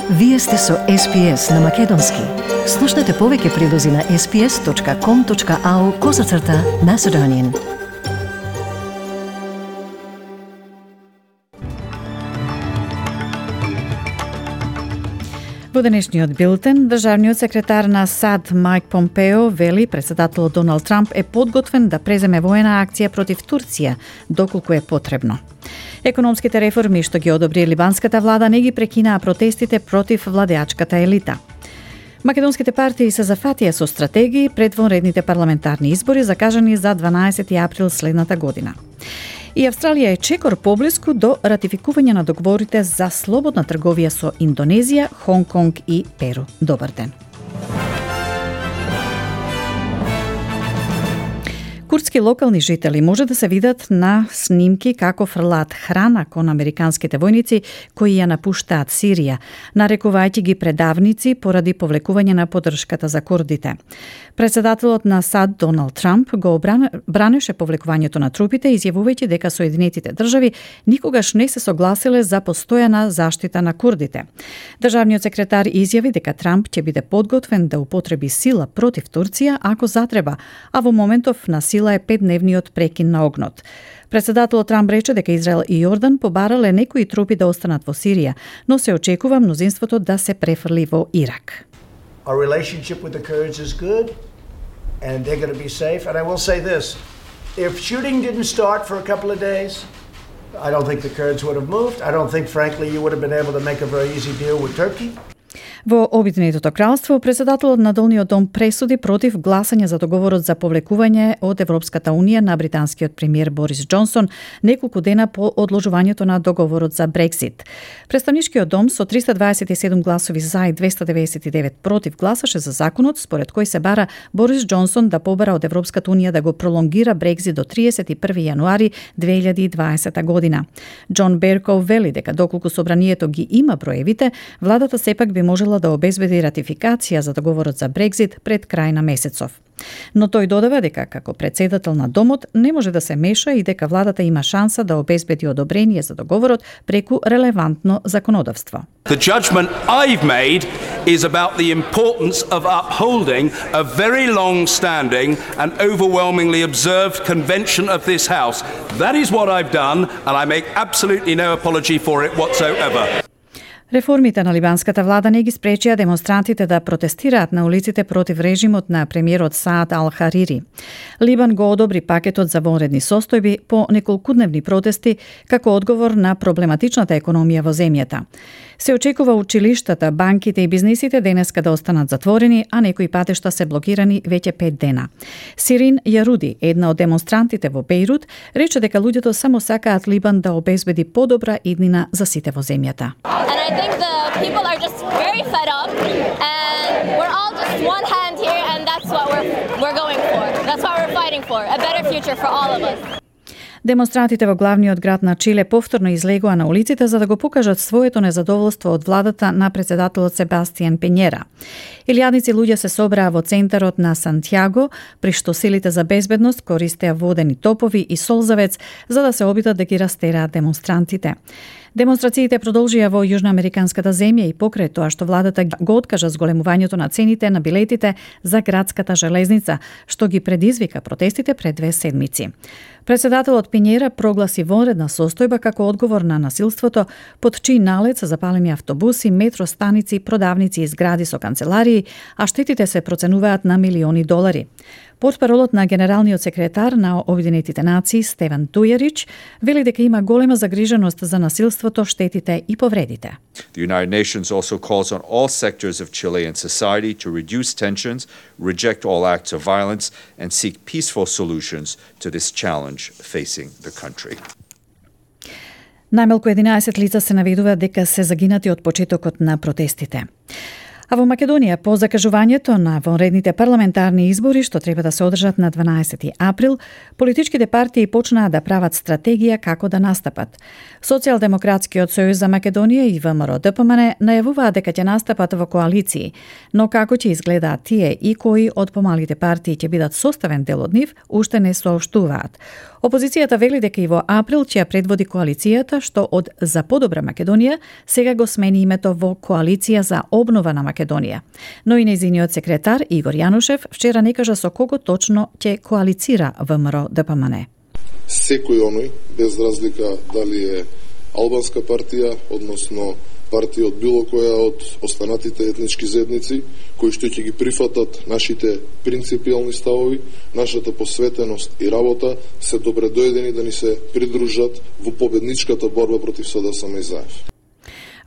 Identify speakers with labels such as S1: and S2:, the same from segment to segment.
S1: Вие сте со SPS на Македонски. Слушнете повеќе прилози на sps.com.au/Macedonian.
S2: Во денешниот билтен, државниот секретар на САД Мајк Помпео вели председателот Доналд Трамп е подготвен да преземе воена акција против Турција, доколку е потребно. Економските реформи што ги одобри либанската влада не ги прекинаа протестите против владеачката елита. Македонските партии се зафатија со стратегии пред вонредните парламентарни избори закажани за 12 април следната година. И Австралија е чекор поблиску до ратификување на договорите за слободна трговија со Индонезија, Хонг Конг и Перу. Добар ден. Курдски локални жители може да се видат на снимки како фрлаат храна кон американските војници кои ја напуштаат Сирија, нарекувајќи ги предавници поради повлекување на поддршката за курдите. Председателот на САД Доналд Трамп го бранеше повлекувањето на трупите, изјавувајќи дека Соединетите држави никогаш не се согласиле за постојана заштита на курдите. Државниот секретар изјави дека Трамп ќе биде подготвен да употреби сила против Турција ако затреба, а во моментов на сила е 5-дневниот прекин на огнот. Председателот Трамп рече дека Израел и Јордан побарале некои трупи да останат во Сирија, но се очекува мнозинството да се префрли во Ирак.
S3: Our relationship with the Kurds is good, and they're going to be safe. And I will say this, if shooting didn't start for a couple of days, I don't think the Kurds would have moved. I don't think, frankly, you would have been able to make a very easy deal with Turkey.
S2: Во Обединетото кралство, председателот на Долниот дом пресуди против гласање за договорот за повлекување од Европската Унија на британскиот премиер Борис Џонсон неколку дена по одложувањето на договорот за Брексит. Представничкиот дом со 327 гласови за и 299 против гласаше за законот според кој се бара Борис Џонсон да побара од Европската Унија да го пролонгира Брексит до 31 јануари 2020 година. Џон Берков вели дека доколку собранието ги има броевите, владата сепак би можела да обезбеди ратификација за договорот за Брекзит пред крај на месецов. Но тој додава дека како председател на домот не може да се меша и дека владата има шанса да обезбеди одобрение за договорот преку релевантно законодавство.
S4: The judgment I've made is about the importance of upholding a very long-standing and overwhelmingly observed convention of this House. That is what I've done, and I make absolutely no apology for it whatsoever.
S2: Реформите на либанската влада не ги спречија демонстрантите да протестираат на улиците против режимот на премиерот Саад Ал-Харири. Либан го одобри пакетот за вонредни состојби по неколкудневни протести како одговор на проблематичната економија во земјата. Се очекува училиштата, банките и бизнисите денеска да останат затворени, а некои патишта се блокирани веќе 5 дена. Сирин Јаруди, една од демонстрантите во Бејрут, рече дека луѓето само сакаат Либан да обезбеди подобра иднина за сите во земјата.
S5: I think the people are just very fed up, and we're all just one hand here, and that's what we're going for. That's what we're fighting for, a better future for all of us.
S2: Демонстрантите во главниот град на Чиле повторно излегоа на улиците за да го покажат своето незадоволство од владата на председателот Себастијан Пењера. Илјадници луѓе се собраа во центарот на Сантјаго, при што силите за безбедност користеа водени топови и солзавец за да се обидат да ги растераат демонстрантите. Демонстрациите продолжија во јужноамериканската земја и покрај тоа што владата го откажа зголемувањето на цените на билетите за градската железница, што ги предизвика протестите пред 2 седмици. Председателот Пињера прогласи вонредна состојба како одговор на насилството, под чиј налет се запалени автобуси, метростаници, продавници и згради со канцеларии, а штетите се проценуваат на милиони долари. Портпаролот на генералниот секретар на Обединетите нации Стефан Дујарич вели дека има голема загриженост за насилството, штетите и повредите.
S6: The United Nations also calls on all sectors of Chilean society to reduce tensions, reject all acts of violence, and seek peaceful solutions to this challenge facing the country.
S2: Најмалку 11 лица се наведува дека се загинати од почетокот на протестите. А во Македонија, по закажувањето на вонредните парламентарни избори што треба да се одржат на 12 април, политичките партии почнаа да прават стратегија како да настапат. Социјалдемократскиот сојуз за Македонија и ВМРО-ДПМН најавуваат дека ќе настапат во коалиции, но како ќе изгледаат тие и кои од помалите партии ќе бидат составен дел од нив, уште не соопштуваат. Опозицијата вели дека и во април ќе ја предводи коалицијата што од За подобра Македонија сега го смени името во Коалиција за обнова на Македонија. Но и нејзиниот секретар Игор Јанушев вчера не кажа со кого точно ќе коалицира ВМРО-ДПМН.
S7: Секој оној, без разлика дали е албанска партија, односно партија од било која од останатите етнички заедници, кои што ќе ги прифатат нашите принципијални ставови, нашата посветеност и работа, се добре дојдени да ни се придружат во победничката борба против СДСМ и ЗАЕФ.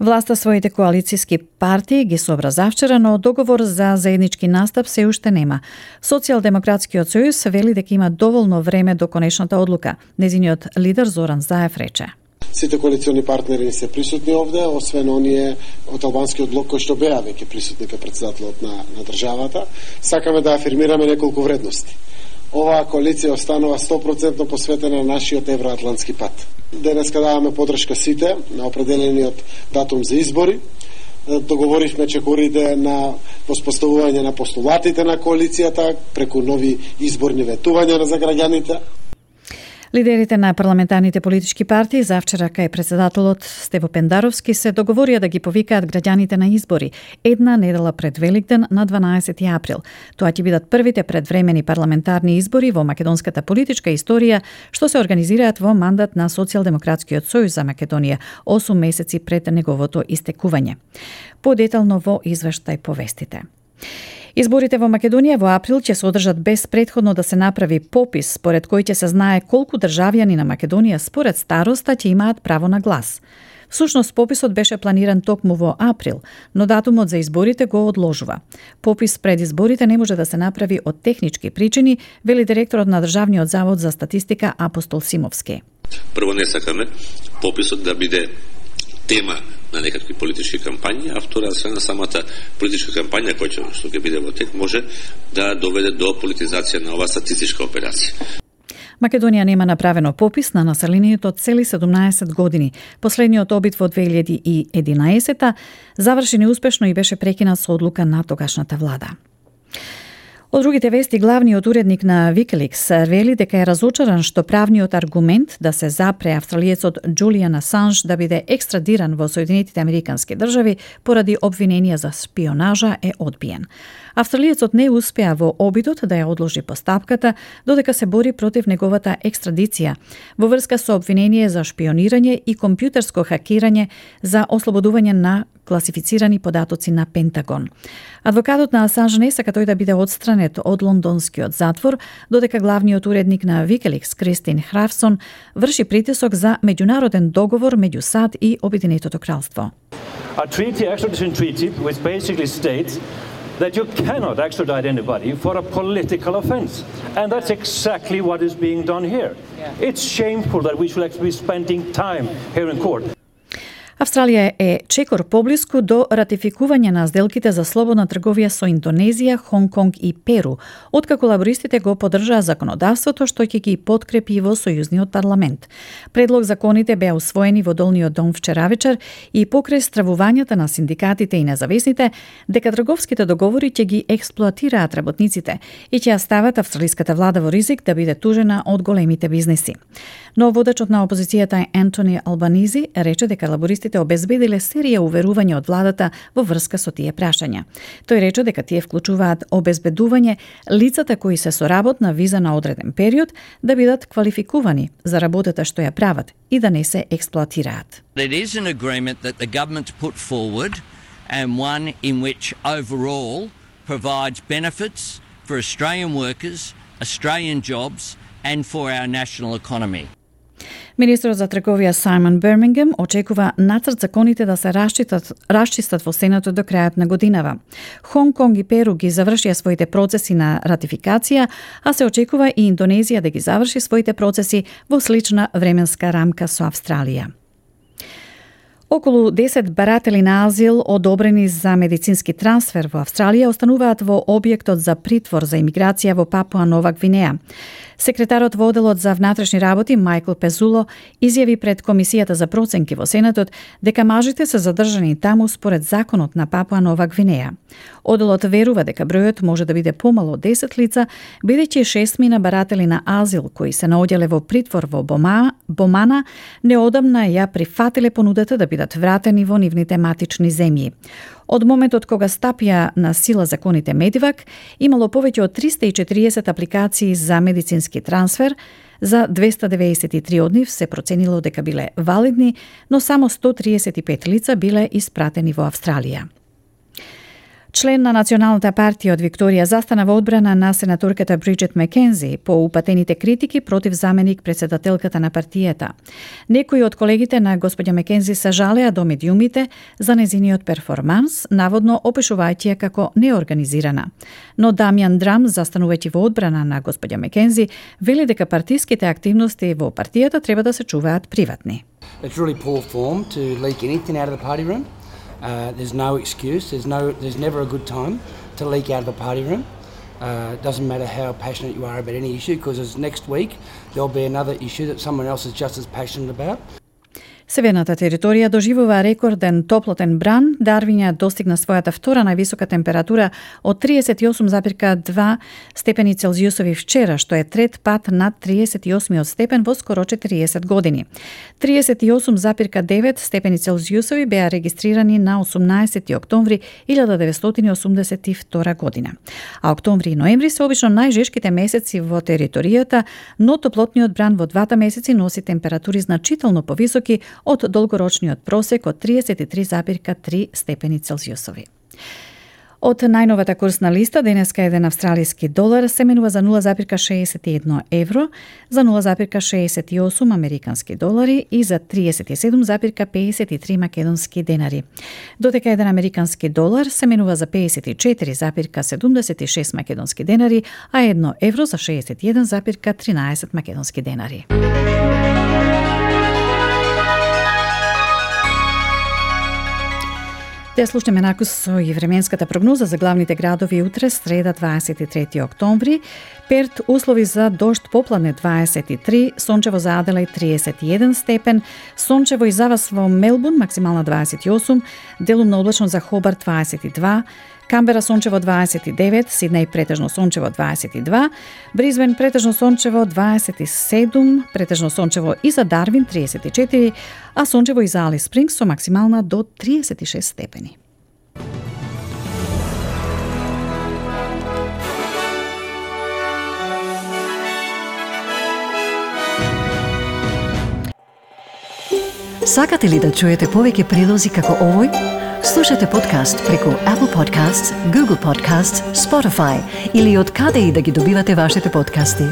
S2: Власта своите коалициски партии ги собра завчера, но договор за заеднички настап се уште нема. Социјалдемократскиот сојуз вели дека има доволно време до конечната одлука. Незиниот лидер Зоран Заев рече:
S8: Сите коалициони партнери се присутни овде, освен оние од албанскиот блок кои што беа веќе присутни кај претседателот на државата. Сакаме да афирмираме неколку вредности. Оваа коалиција останува 100% посветена на нашиот евроатлантски пат. Денеска даваме подршка сите на определениот датум за избори. Договоривме чекорите на воспоставување на постулатите на коалицијата преку нови изборни ветувања за граѓаните.
S2: Лидерите на парламентарните политички партии завчера кај претседателот Стево Пендаровски се договорија да ги повикаат граѓаните на избори една недела пред Великден на 12 април. Тоа ќе бидат првите предвремени парламентарни избори во македонската политичка историја што се организираат во мандат на Социјалдемократскиот сојуз за Македонија 8 месеци пред неговото истекување. Подетално во извештај повестите. Изборите во Македонија во април ќе се одржат без претходно да се направи попис според кој ќе се знае колку државјани на Македонија според староста ќе имаат право на глас. Всушност пописот беше планиран токму во април, но датумот за изборите го одложува. Попис пред изборите не може да се направи од технички причини, вели директорот на Државниот завод за статистика Апостол Симовски.
S9: Прво не сакаме пописот да биде тема на некакви политички кампањи, а втора страна самата политичка кампања која што ќе биде во тек може да доведе до политизација на оваа статистичка операција.
S2: Македонија нема направено попис на населението од цели 17 години. Последниот обид во 2011 заврши неуспешно и беше прекинат со одлука на тогашната влада. Од другите вести, главниот уредник на Wikileaks вели дека е разочаран што правниот аргумент да се запре австралиецот Джулијан Асанж да биде екстрадиран во Соединетите Американски држави поради обвиненија за шпионажа е одбиен. Австралиецот не успеа во обидот да ја одложи постапката додека се бори против неговата екстрадиција во врска со обвинение за шпионирање и компјутерско хакирање за ослободување на класифицирани податоци на Пентагон. Адвокатот на Асанж не сака тој да биде одстранет од лондонскиот затвор, додека главниот уредник на Wikileaks Кристин Храфсон врши притисок за меѓународен договор меѓу САД и Обединетото кралство.
S10: A treaty, extradition treaty, which basically states that you cannot extradite anybody for a political offense. And that's exactly what is being done here. It's shameful that we should actually be spending time here in court.
S2: Австралија е чекор поблиску до ратификување на сделките за слободна трговија со Индонезија, Хонг Конг и Перу, откако лабористите го поддржаа законодавството што ќе ги подкрепи во сојузниот парламент. Предлог законите беа усвоени во долниот дом вчера вечер и покрај стравувањата на синдикатите и независните дека трговските договори ќе ги експлоатираат работниците и ќе ја стават австралиската влада во ризик да биде тужена од големите бизнеси. Но водачот на опозицијата Ентони Албанизи рече дека лабористите обезбедиле серија уверувања од владата во врска со тие прашања. Тој рече дека тие вклучуваат обезбедување лицата кои се со работна виза на одреден период да бидат квалификувани за работата што ја прават и да не се експлоатираат.
S11: It is an agreement that the government put forward and one in which overall provides benefits for Australian workers, Australian jobs and for our national economy.
S2: Министерот за трговија Саймон Бирмингем очекува нацрт законите да се расчистат во Сенатот до крајот на годинава. Хонг Конг и Перу ги завршија своите процеси на ратификација, а се очекува и Индонезија да ги заврши своите процеси во слична временска рамка со Австралија. Околу 10 баратели на азил одобрени за медицински трансфер во Австралија остануваат во објектот за притвор за имиграција во Папуа Нова Гвинеја. Секретарот во Оделот за внатрешни работи Майкл Пезуло изјави пред Комисијата за проценки во Сенатот дека мажите се задржани таму според законот на Папуа Нова Гвинеја. Оделот верува дека бројот може да биде помало од 10 лица, бидејќи 6 мина баратели на азил кои се наоѓале во притвор во Бомана неодамна ја прифатиле понудата да бидат вратени во нивните матични земји. Од моментот кога стапија на сила законите Медивак, имало повеќе од 340 апликации за медицински трансфер, за 293 од нив се проценило дека биле валидни, но само 135 лица биле испратени во Австралија. Член на Националната партија од Викторија застана во одбрана на сенаторката Бриджит Маккензи по упатените критики против заменик председателката на партијата. Некои од колегите на господја Маккензи се жалеа до медиумите за незиниот перформанс, наводно опишувајќи ја како неорганизирана. Но Дамјан Драм, застанувајќи во одбрана на господја Маккензи, вели дека партиските активности во партијата треба да се чуваат приватни.
S12: It's really poor form to leak anything out of the party room. There's no excuse. There's never a good time to leak out of a party room. Doesn't matter how passionate you are about any issue, because next week there'll be another issue that someone else is just as passionate about.
S2: Северната територија доживува рекорден топлотен бран. Дарвин достигна својата втора највисока температура од 38,2 степени Целзиусови вчера, што е трет пат над 38 степен во скоро 40 години. 38,9 степени Целзиусови беа регистрирани на 18 октомври 1982 година. А октомври и ноември се обично најжешките месеци во територијата, но топлотниот бран во двата месеци носи температури значително повисоки од долгорочниот просек од 33,3 степени Целзиусови. Од најновата курсна листа, денеска еден австралиски долар се менува за 0,61 евро, за 0,68 американски долари и за 37,53 македонски денари. Додека еден американски долар се менува за 54,76 македонски денари, а 1 евро за 61,13 македонски денари. Те слушнеме накусо и временската прогноза за главните градови утре, среда 23 октомври. Перт услови за дожд попладне 23, сончево за Аделаид 31 степен, сончево и за вас во Мелбурн максимална 28, делумно облачно за Хобарт 22, Камбера сончево 29, Сиднеј претежно сончево 22, Бризбен претежно сончево 27, претежно сончево и за Дарвин 34, а сончево и за Алис Спрингс со максимална до 36 степени.
S1: Сакате ли да чуете повеќе прилози како овој? Слушате подкаст преку Apple Podcasts, Google Podcasts, Spotify или од каде и да ги добивате вашите подкасти.